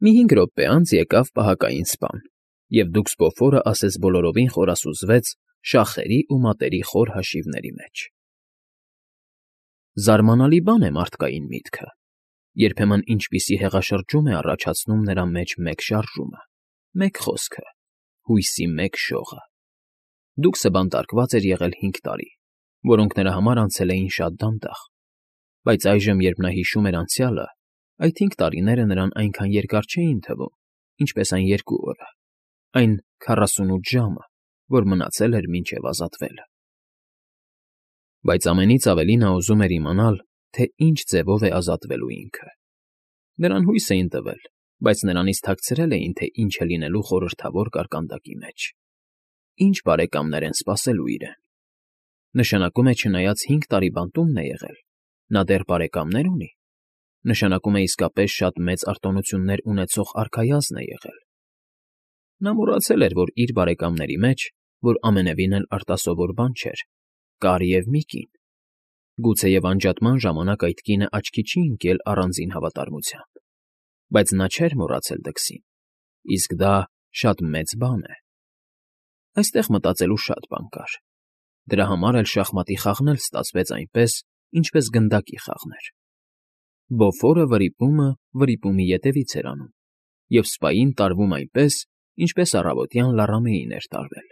Մի 5 րոպե անց եկավ պահակային սպան, և դուքսպոֆորը ասես բոլորովին խորասուզվեց շախերի ու մատերի խոր հաշիվների մեջ։ Զարմանալի բան է մարդկային միտքը. երբեմն ինչպիսի հեղաշրջում է առաջացնում նրա մեջ մեկ շարժումը, մեկ խոսքը, հույսի մեկ շողը։ Դուքսը բանտարկված էր եղել 5 տարի, որոնք նրա համար անցել էին շատ դանդաղ, բայց այժմ, երբ նա հիշում էր անցյալը, այդ 5 տարիները նրան այնքան երկար չէին թվում, ինչպես այն 2 օրը, այն 48 ժամը, որ մնացել էր մինչև ազատվելը։ Բայց ամենից ավելի նա ուզում էր իմանալ, թե ինչ ձևով է ազատվելու ինքը։ Նրան հույս էին տվել, բայց նրանից թաքցրել էին, թե ինչ է լինելու խորհրդավոր կարկանդակի մեջ։ Ինչ բարեկամներ են սպասելու իրեն։ Նշանակում է, չնայած 5 տարի բանտումն է եղել, նա դեռ բարեկամներ ունի։ Նշանակում է իսկապես շատ մեծ արտոնություններ ունեցող արքայազն է եղել։ Նա մոռացել էր, որ իր բարեկամների մեջ, որ ամենևին էլ արտասովոր բան չէր, կար և մի կին։ Գուցեև անջատման ժամանակ այդ կինը աչքի չի ընկել առանձին հավատարմությամբ, բայց նա չէր մոռացել դքսին, իսկ դա շատ մեծ բան է։ Այստեղ մտածելու շատ բան կար։ Դրա համար էլ շախմատի խաղն էլ ստացվեց այնպես, ինչպես գնդակի խաղն էր։ Բոֆորը վրիպումի ետևից էր անում, և սպային տարվում այնպես, ինչպես առավոտյան լառամեին էր տարվել։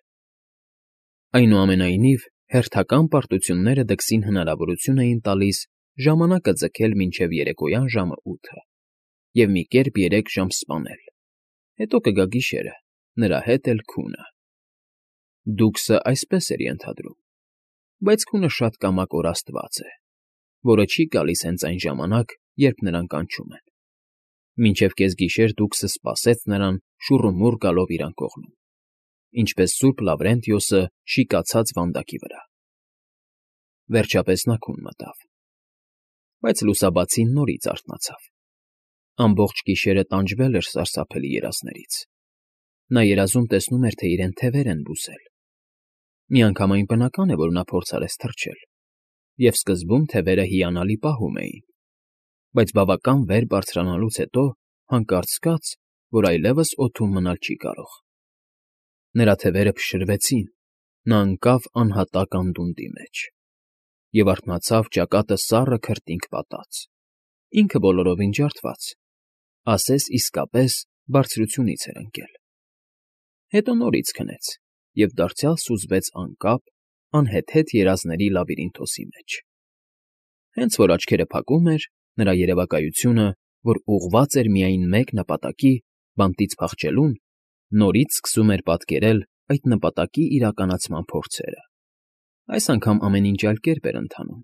Այնուամենայնիվ, հերթական պարտությունները դքսին հնարավորություն էին տալիս ժամանակը ձգել մինչև երեկոյան ժամը 8-ը և մի կերպ 3 ժամ սպանել, հետո կգա գիշերը, նրա հետ էլ քունը։ Դուքսը այսպես էր ենթադրում, բայց քունը շատ կամակորաստված է, որը չի գալիս հենց այն ժամանակ, երբ նրան կանչում են։ Մինչև կեսգիշեր դուքսը սպասեց նրան շուռումուռ գալով իրան կողմում, ինչպես սուրբ Լավրենտիոսը շիկացած վանդակի վրա։ Վերջապես նա քուն մտավ, բայց լուսաբացին նորից արթնացավ։ Ամբողջ գիշերը տանջվել էր սարսափելի երազներից։ Նա երազում տեսնում էր, թե իրեն թևեր են բուսել։ Միանգամայն բնական է, որ նա փորձարեց թռչել, և սկզբում թևերը հիանալի պահում էին, բայց բավական վեր բարձրանալուց հետո հանկարծ զգաց, որ այլևս օդում մնալ չի կարող։ Նրա թևերը փշրվեցին, նա ընկավ անհատակ անդունդի մեջ և արթնացավ ճակատը սառը քրտինք պատած, ինքը բոլորովին ջարդված, ասես իսկապես բարձրությունից էր ընկել։ Հետո նորից քնեց և դարձյալ սուզվեց անկապ, անհեթեթ երազների լաբիրինթոսի մեջ։ Հենց որ աչքերը փակում էր, նրա երևակայությունը, որ ուղղված էր միայն մեկ նպատակի՝ բանտից փախչելուն, նորից սկսում էր պատկերել այդ նպատակի իրականացման փորձերը։ Այս անգամ ամեն ինչ այլ կերպ էր ընթանում։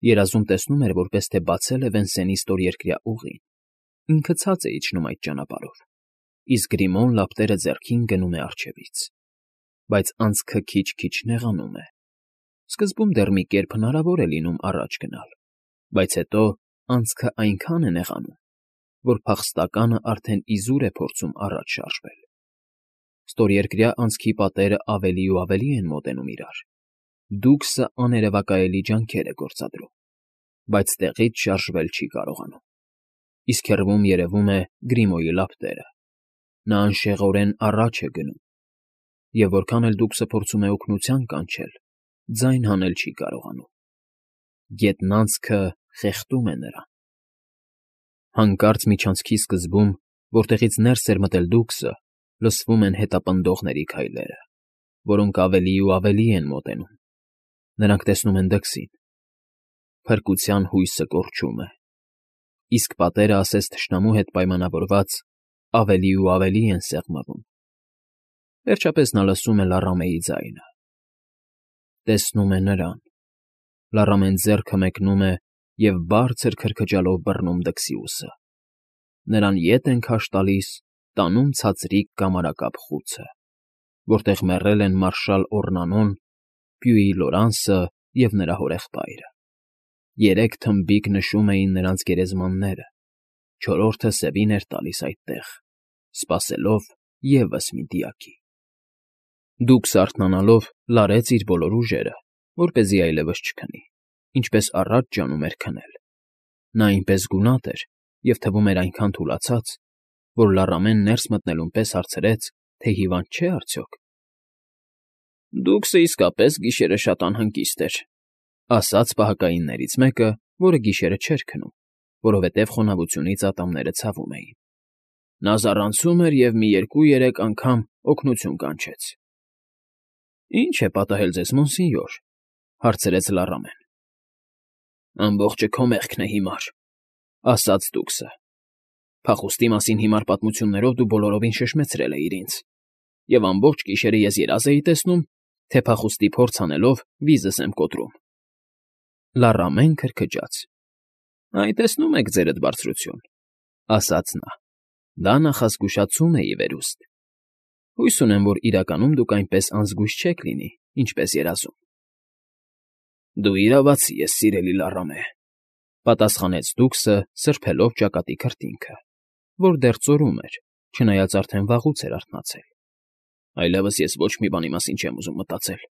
Երազում տեսնում էր, որպես թե բացել է Վենսենի ստորերկրյա ուղին, ինքը ցած է իջնում այդ ճանապարհով, իսկ Գրիմոն լապտերը ձեռքին գնում է առջևից։ Բայց անցքը քիչ-քիչ նեղանում է։ Սկզբում դեռ մի կերպ հնարավոր է լինում առաջ գնալ, բայց հետո անցքը այնքան է նեղանում, որ փախստականը արդեն իզուր է փորձում առաջ շարժվել։ Ստորերկրյա անցքի պատերը ավելի ու ավելի են մոտենում իրար։ Դուքսը աներևակայելի ջանքեր է գործադրում, բայց տեղից շարժվել չի կարողանում։ Իսկ հեռվում երևում է Գրիմոյի լապտերը։ Նա անշեղորեն առաջ է գնում, և որքան էլ դուքսը փորձում է օգնության կանչել, ձայն հանել չի կարողանում։ Գետնանցքը խեղդում է նրան։ Հանկարծ միջանցքի սկզբում, որտեղից ներս էր մտել դուքսը, լսվում են հետապնդողների քայլերը, որոնք ավելի ու ավելի են մոտենում։ Նրանք տեսնում են դքսին։ Փրկության հույսը կորչում է, իսկ պատերը, ասես թշնամու հետ պայմանավորված, ավելի ու ավելի են սեղմվում։ Վերջապես նա լսում է լառամեի ձայնը։ Տեսնում է նրան։ Լառամեն ձեռքը մեկնում է և բարձր քրքջալով բռնում դքսի ուսը։ Նրան ետ են քաշ տալիս, տանում ցածրիկ կամարակապ խուցը, որտեղ մեռել են մարշալ Օռնանոն, Պյուի Լորանսը և նրա հորեղբայրը։ 3 թմբիկ նշում էին նրանց գերեզմանները, 4-րդը սևին էր տալիս այդտեղ, սպասելով ևս մի դիակի։ Դուքսը արթնանալով լարեց իր բոլոր ուժերը, որպեսզի այլևս չքնի, ինչպես առաջ ջանում էր քնել։ Նա այնպես գունատ էր և թվում էր այնքան թուլացած, որ լառամեն ներս մտնելուն պես հարցրեց, թե հիվանդ չէ արդյոք։ Դուքսը իսկապես գիշերը շատ անհանգիստ էր, ասաց պահակայիններից մեկը, որը գիշերը չէր քնում, որովհետև խոնավությունից ատամները ցավում էին։ Նա զառանցում էր և մի 2-3 անգամ օգնություն կանչեց։ Ի՞նչ է պատահել ձեզ, մոնսինյոր,֊ հարցրեց լառամեն։ Ամբողջը քո մեղքն է հիմար,֊ ասաց դուքսը։ Փախուստի մասին հիմար պատմություններով դու բոլորովին շշմեցրել էիր ինձ, և ամբողջ գիշերը ես երազ էի տեսնում, թե փախուստի փորձ անելով վիզս եմ կոտրում։ Լառամեն քրքջաց։ Այ տեսնում եք, ձերդ բարձրություն,֊ ասաց նա։ Դա նախազգուշացում է, ի վերուստ։ Հույս ունեմ, որ իրականում դուք այնպես անզգույշ չեք լինի, ինչպես երազում։ Դու իրավացի ես, սիրելի լառամե,֊ պատասխանեց դուքսը, սրբելով ճակատի քրտինքը, որ դեռ ծորում էր, չնայած արդեն վաղուց էր արթնացել։ Այլևս ես ոչ մի բանի մասին չեմ ուզում մտածել,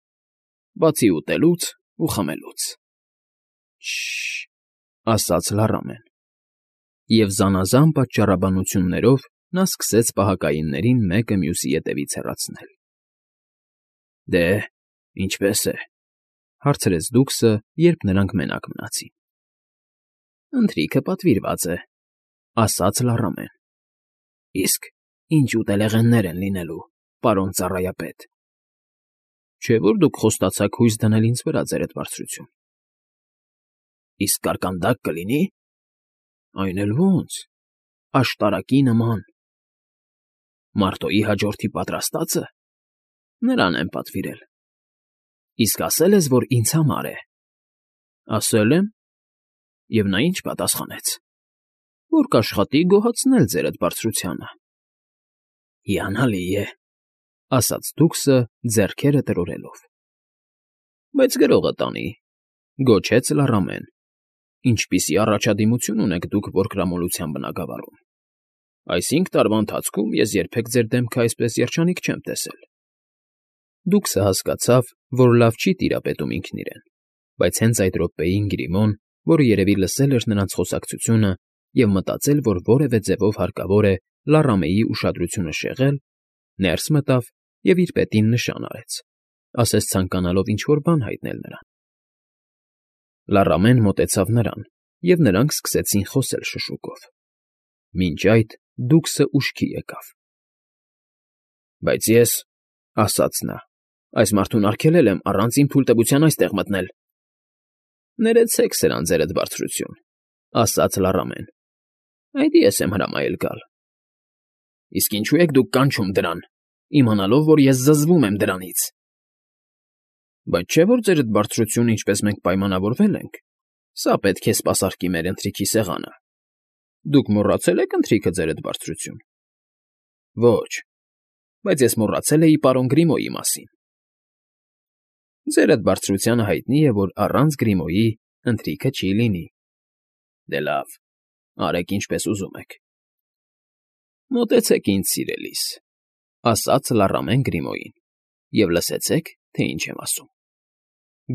բացի ուտելուց ու խմելուց։ Շ… ասաց լառամեն։ Եվ զանազան պատճառաբանություններով նա սկսեց պահակայիններին մեկը մյուսի ետևից հեռացնել։ Դե, ինչպե՞ս է,֊ հարցրեց դուքսը, երբ նրանք մենակ մնացին։ Ընթրիքը պատվիրված է,֊ ասաց լառամեն։ Իսկ ինչ ուտելեղեններ են լինելու, պարոն ծառայապետ։ Չէ՞ որ դուք խոստացաք հույս դնել ինձ վրա, ձերդ բարձրություն։ Իսկ կարկանդակ կլինի։ Այն էլ ո՜նց, աշտարակի նման։ Մարտոյի հաջորդի պատրաստածը։ Նրան եմ պատվիրել։ Իսկ ասել ես, որ ինձ համար է։ Ասել եմ։ Եվ նա ինչ պատասխանեց։ Որ կաշխատի գոհացնել ձերդ բարձրությանը։ Հիանալի է,֊ ասաց դուքսը, ձեռքերը տրորելով։ Բայց գրողը տանի,֊ գոչեց լառամեն։ Ինչպիսի առաջադիմություն ունեք դուք որկրամոլության բնագավառում։ Այս 5 տարվա ընթացքում ես երբեք ձեր դեմքը այսպես երջանիկ չեմ տեսել։ Դուքսը հասկացավ, որ լավ չի տիրապետում ինքն իրեն, բայց հենց այդ րոպեին Գրիմոն, որը երևի լսել էր նրանց խոսակցությունը և մտածել, որ որևէ ձևով հարկավոր է Լառամեի ուշադրությունը շեղել, ներս մտավ և իր պետին նշան արեց, ասես ցանկանալով ինչ֊որ բան հայտնել նրան։ Լառամեն մոտեցավ նրան, և նրանք սկսեցին խոսել շշուկով։ Մինչ այդ դուքսը ուշքի եկավ։ Բայց ես,֊ ասաց նա,֊ այս մարդուն արգելել եմ առանց իմ թույլտվության այստեղ մտնել։ Ներեցեք սրան, ձերդ բարձրություն,֊ ասաց լառամեն։ Այդ ես եմ հրամայել գալ։ Իսկ ինչու եք դուք կանչում դրան, իմանալով, որ ես զզվում եմ դրանից։ Բայց չէ՞ որ ձերդ բարձրությունը, ինչպես մենք պայմանավորվել ենք, սա պետք է սպասարկի մեր ընթրիքի սեղանը։ Դուք մոռացել եք ընթրիքը, ձերդ բարձրություն։ Ոչ, բայց ես մոռացել էի պարոն Գրիմոյի մասին։ Ձերդ բարձրությանը հայտնի է, որ առանց Գրիմոյի ընթրիքը չի լինի։ Դե լավ, արեք ինչպես ուզում եք։ Մոտեցեք ինձ, սիրելիս,֊ ասաց լառամեն Գրիմոյին,֊ և լսեցեք, թե ինչ եմ ասում։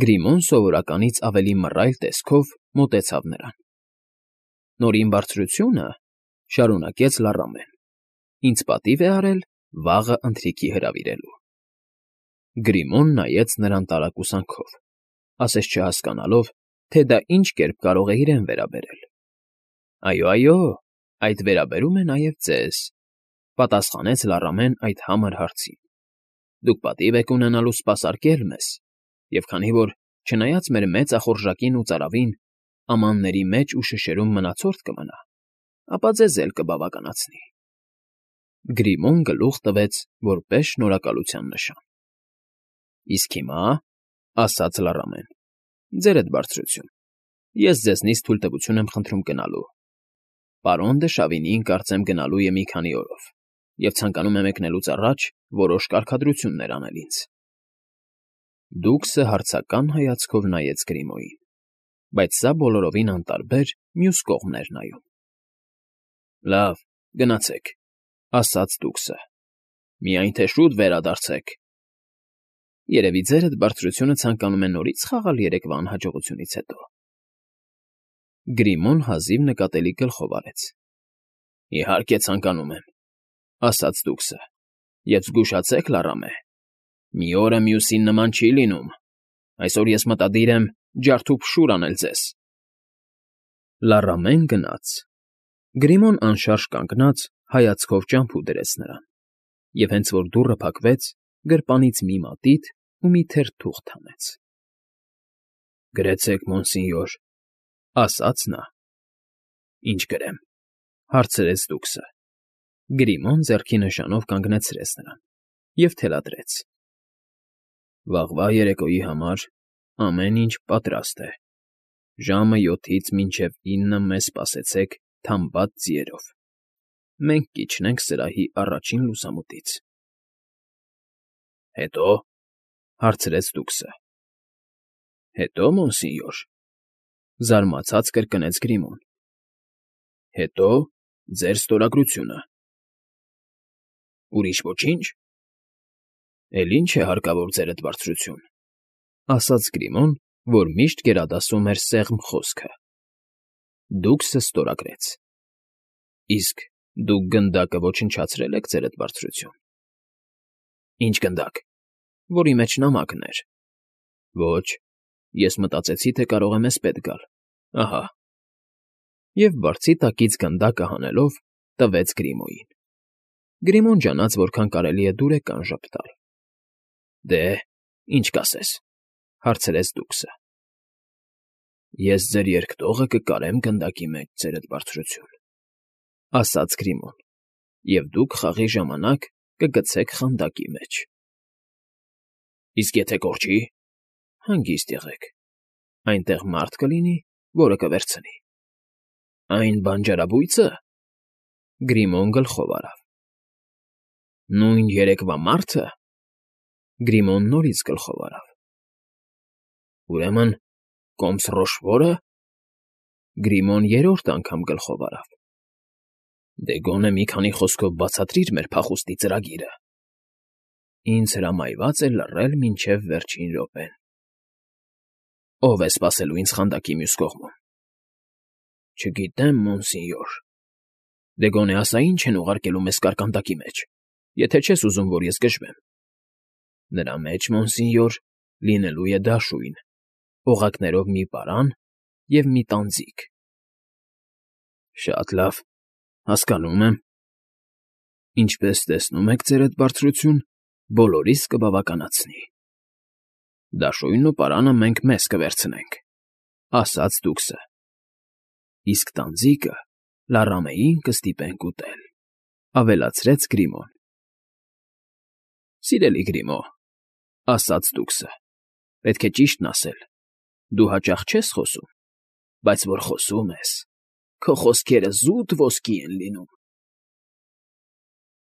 Գրիմոն սովորականից ավելի մռայլ տեսքով մոտեցավ նրան։ Նորին բարձրությունը,֊ շարունակեց լառամեն,֊ ինձ պատիվ է արել վաղը ընթրիքի հրավիրելու։ Գրիմոն նայեց նրան տարակուսանքով, ասես չհասկանալով, թե դա ինչ կերպ կարող է իրեն վերաբերել։ Այո, այդ վերաբերում է նաև ձեզ,֊ պատասխանեց լառամեն այդ համր հարցին։ Դուք պատիվ եք ունենալու սպասարկել մեզ, և քանի որ, չնայած մեր մեծ ախորժակին ու ծարավին, ամանների մեջ ու շշերում մնացորդ կմնա, ապա ձեզ էլ կբավականացնի։ Գրիմոն գլուխ տվեց որպես շնորհակալության նշան։ Իսկ հիմա,֊ ասաց լառամեն,֊ ձերդ բարձրություն, ես ձեզնից թույլտվություն եմ խնդրում գնալու։ Պարոն դը Շավինիին, կարծեմ, գնալու է մի քանի օրով և ցանկանում է մեկնելուց առաջ որոշ կարգադրություններ անել ինձ։ Դուքսը հարցական հայացքով նայեց Գրիմոյին, բայց սա բոլորովին անտարբեր մյուս կողմն էր նայում։ Լավ, գնացեք,֊ ասաց դուքսը։ Միայն թե շուտ վերադարձեք։ Երևի ձերդ բարձրությունը ցանկանում է նորից խաղալ երեկվա անհաջողությունից հետո։ Գրիմոն հազիվ նկատելի գլխով արեց։ Իհարկե ցանկանում եմ։ ասաց դուքսը, և զգուշացեք, Լարամե, մի օրը մյուսին նման չի լինում, այսօր ես մտադիր եմ ջարդուփշուր անել ձեզ։ Լարամեն գնաց։ Գրիմոն անշարժ կանգնած հայացքով ճամփու դրեց նրան, և հենց որ դուռը փակվեց, գրպանից մի մատիտ ու մի թերթ թուղթ հանեց։ «Գրեցեք, մոնսինյոր», ասաց նա։ «Ինչ գրեմ», հարցրեց դուքսը։ Գրիմոն ձեռքի նշանով կանգնեցրեց նրան և թելադրեց. «Վաղվա երեկոյի համար ամեն ինչ պատրաստ է։ Ժամը 7-ից մինչև 9 մեզ սպասեցեք թամբած ձիերով։ Մենք կիջնենք սրահի առաջին լուսամուտից»։ «Հետո՞», հարցրեց դուքսը։ «Հետո, մոնսինյոր», զարմացած կրկնեց Գրիմոն։ «Հետո ձեր ստորագրությունը»։ «Ուրիշ ոչինչ»։ «Էլ ինչ է հարկավոր, ձերդ բարձրություն», ասաց Գրիմոն, որ միշտ գերադասում էր սեղմ խոսքը։ Դուքսը ստորագրեց։ «Իսկ դուք գնդակը ոչնչացրել եք, ձերդ բարձրություն»։ «Ինչ գնդակ»։ «Որի մեջ նամակն էր»։ «Ոչ, ես մտածեցի, թե կարող է մեզ պետք գալ։ Ահա»։ Եվ բարձի տակից գնդակը հանելով տվեց Գրիմոյին։ Գրիմոն ջանաց, որքան կարելի է դուրեկան ժպտալ։ «Դե, ինչ կասես», հարցրեց դուքսը։ «Ես ձեր երկտողը կկարեմ գնդակի մեջ, ձերդ բարձրություն», ասաց Գրիմոն, «և դուք խաղի ժամանակ կգցեք խանդակի մեջ»։ «Իսկ եթե կորչի»։ «Հանգիստ եղեք. այնտեղ մարդ կլինի, որը կվերցնի»։ «Այն բանջարաբույցը»։ Գրիմոն գլխով արավ։ «Նույն երեկվա մարդը»։ Գրիմոն նորից գլխով արավ։ «Ուրեմն Կոմս Ռոշվո՞րը»։ Գրիմոն երրորդ անգամ գլխով արավ։ «Դե գոնե մի քանի խոսքով բացատրիր մեր փախուստի ծրագիրը»։ «Ինձ հրամայված է լռել մինչև վերջին րոպեն»։ «Ո՞վ է սպասելու ինձ խանդակի մյուս կողմում»։ «Չգիտեմ, մոնսինյոր»։ «Դե գոնե ասա ինչ են ուղարկելու մեզ կարկանդակի մեջ, եթե չես ուզում, որ ես գժվեմ»։ «Նրա մեջ, մոնսինյոր, լինելու է դաշույն, օղակներով մի պարան և մի տանձիկ»։ «Շատ լավ, հասկանում եմ»։ «Ինչպես տեսնում եք, ձերդ բարձրություն, բոլորիս կբավականացնի»։ «Դաշույնն ու պարանը մենք մեզ կվերցնենք», ասաց դուքսը։ «Իսկ տանձիկը Լարամեին կստիպենք ուտել», ավելացրեց Գրիմոն։ «Սիրելի Գրիմո», ասաց դուքսը, «պետք է ճիշտն ասել. դու հաճախ չես խոսում, բայց որ խոսում ես, քո խոսքերը զուտ ոսկի են լինում»։